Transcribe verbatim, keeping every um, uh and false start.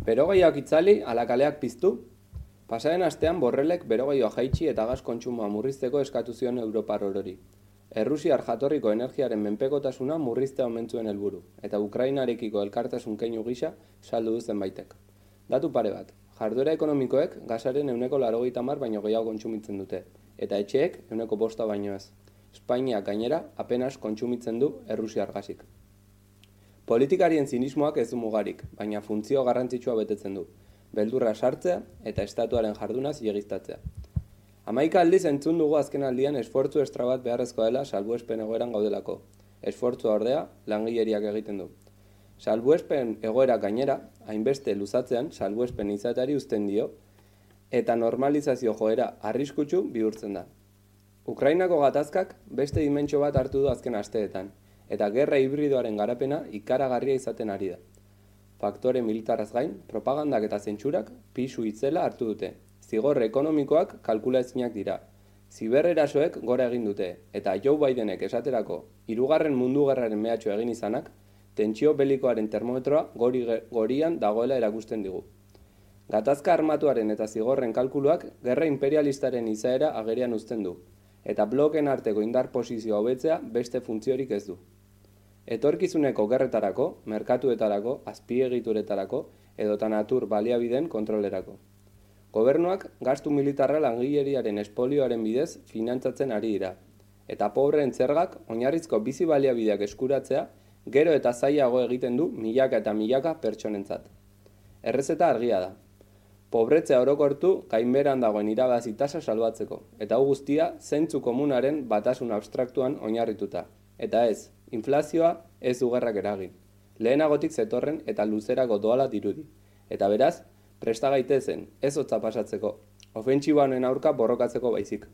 Berogailloak itzali, ala kaleak piztu? Pasaren astean borrelek berogailloa jaitsi eta gas kontsumoa murrizteko eskatu zion Europar orori. Errusiar jatorriko energiaren menpekotasuna murriztea omen zuen helburu, eta Ukrainarekiko elkartasun keinu gisa saldu du zenbaitek. Datu pare bat, jarduera ekonomikoek gasaren ehuneko laurogeita hamar baino gehiago kontsumitzen dute, eta etxeek ehuneko bosta baino ez. Espainiak gainera apenas kontsumitzen du errusiar gasik. Politikarien zinismoak ez du mugarik, baina funtzio garrantzitsua betetzen du. Beldurra sartzea eta estatuaren jarduna zilegiztatzea. Hamaika aldiz entzun dugu azken aldian esfortzu estra bat beharrezkoa dela salbuespen egoeran gaudelako. Esfortzua ordea langileriak egiten du. Salbuespen egoera gainera, hainbeste luzatzean salbuespen izateari uzten dio, eta normalizazio joera arriskutsu bihurtzen da. Ukrainako gatazkak beste dimentsio bat hartu du azken asteetan, eta gerra hibridoaren garapena ikaragarria izaten ari da. Faktore militarraz gain, propagandak eta zentsurak pisu itzela hartu dute. Zigor ekonomikoak kalkulaezinak dira. Zibererasoek gora egin dute, eta Joe Bidenek esaterako hirugarren mundu gerraren mehatxu egin izanak, tentsio belikoaren termometroa gori, gorian dagoela erakusten digu. Gatazka armatuaren eta zigorren kalkuluak gerra imperialistaren izaera agerian uzten du, eta bloken arteko indar posizioa hobetzea beste funtziorik ez du. Etorkizuneko gerretarako, merkatuetarako, azpiegituretarako edota natur baliabideen kontrolerako. Gobernuak gastu militarra langileriaren espolioaren bidez finantzatzen ari dira, eta pobreen zergak oinarrizko bizi baliabideak eskuratzea gero eta zailago egiten du milaka eta milaka pertsonentzat. Errezeta argia da. Pobretzea orokortu gainbeheran dagoen irabazi tasa salbatzeko, eta hau guztia zentzu komunaren batasun abstraktuan oinarrituta. Eta ez, inflazioa ez du gerrak eragin. Lehenagotik zetorren eta luzerako doala dirudi. Eta beraz, presta gaitezen, ez hotza pasatzeko, ofentsiba honen aurka borrokatzeko baizik.